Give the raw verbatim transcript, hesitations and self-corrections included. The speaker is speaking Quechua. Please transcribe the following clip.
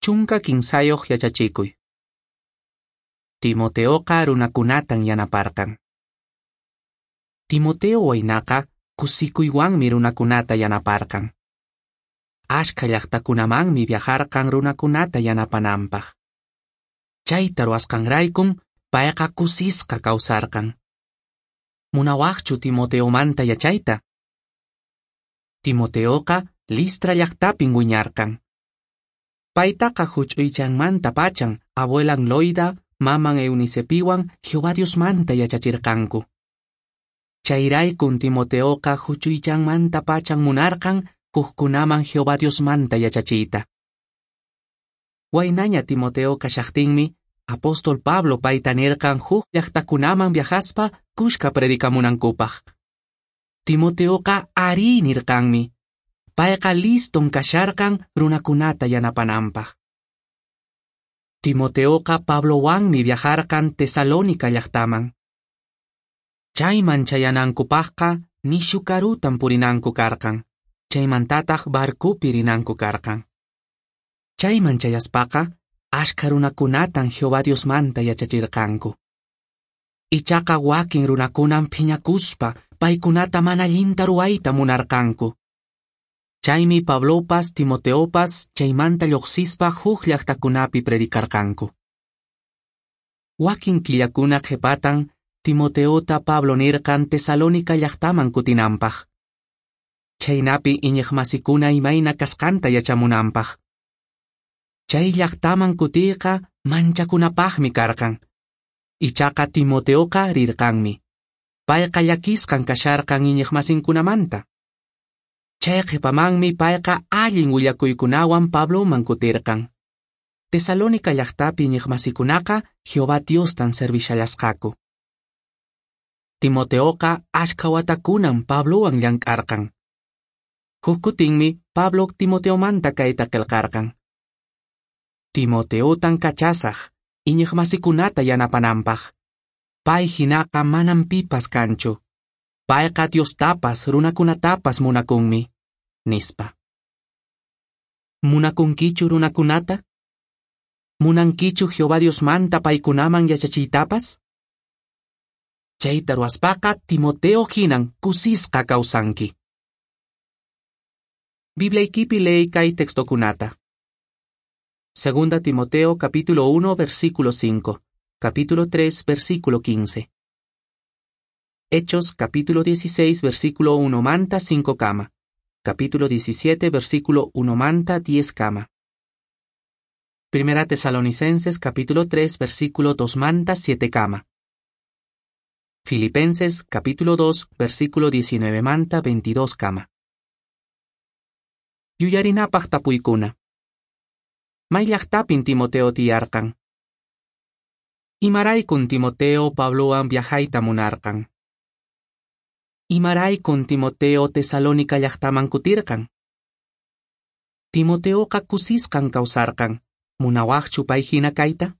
Chunka kinsayuq yachachikuy. Timoteoqa runakunatan yanaparqan. Timoteo waynaqa kusikuywanmi runakunata yanaparqan. Ashka llaqtakunamanmi viajarqan runakunata yanapananpaq. Chayta ruwasqanraykun payqa kusisqa kawsarqan. Munawaqchu Timoteomanta yachayta? Timoteoqa Listra llaqtapin wiñarqan. Paytaqa huch'uychanmanta pachan abuelan Loida, maman Eunicepiwan Jehová Diosmanta yachachirqanku. Chayraykun Timoteoqa huch'uychanmanta pachan munarqan hukkunaman Jehová Diosmanta yachachiyta. Waynaña Timoteo kashaqtinmi, apóstol Pablo payta nirqan huk llaqtakunaman viajaspa kushka predicamunankupaq. Timoteoqa arí nirqanmi. Payqa liston kasharqan runakunata yanapananpaq. Timoteoqa Pablowanmi viajarqan Tesalónica llaqtaman. Chayman chayanankupaqqa nishu karutan purinanku karqan. Chaymantataq barcopi rinanku karqan. Chayman chayaspaqa ashka runakunatan Jehová Diosmanta yachachirqanku. Ichaqa wakin runakunan phiñakuspa paykunata mana allinta ruwayta munarqanku. Chaymi Pablopas Timoteopas chaymanta lluqsispa huk llaqtakunapi predicarqanku. Wakin killakuna qhipatan Timoteota Pablo nirqan Tesalónica llaqtaman kutinanpaq. Chaynapi iñiqmasikuna imayna kasqanta yachamunanpaq. Chay llaqtaman kutiyqa manchakunapaqmi karqan. Ichaqa Timoteoqa rirqanmi. Payqa llakisqan kasharqan iñiqmasinkunamanta. Chay qhipamanmi payqa allin willakuykunawan Pabloman kutirqan. Tesalónica llaqtapi iñiqmasikunaqa Jehová Diostan servishallasqaku. Timoteoqa ashka watakunan Pablowan llank'arqan. Huk kutinmi Pablo Timoteomanta kayta qillqarqan. Timoteotan kachasaq iñiqmasikunata yanapananpaq. Pay hinaqa manam pipas kanchu. Payqa Diostapas runakunatapas munakunmi, nispa. Munakunkichu runakunata? Munankichu Jehová Diosmanta paykunaman yachachiytapas? Chayta ruwaspaqa Timoteo hinan kusisqa kawsanki. Bibliaykipi leey kay textokunata. Segunda Timoteo capítulo uno versículo cinco, capítulo tres versículo quince. Hechos capítulo dieciséis versículo uno manta cinco kama, capítulo diecisiete versículo uno manta diez kama. Primera Tesalonicenses capítulo tres versículo dos manta siete kama. Filipenses capítulo dos versículo diecinueve manta veintidós kama. Yuyarinapaq tapuykuna. May llaqtapin Timoteo tiyarqan. Imaraykun Timoteo Pablowan viajayta munarqan. Imaraykun Timoteo Tesalónica llaqtaman kutirqan. Timoteoqa kusisqan kawsarqan. Munawaqchu pay hina kayta?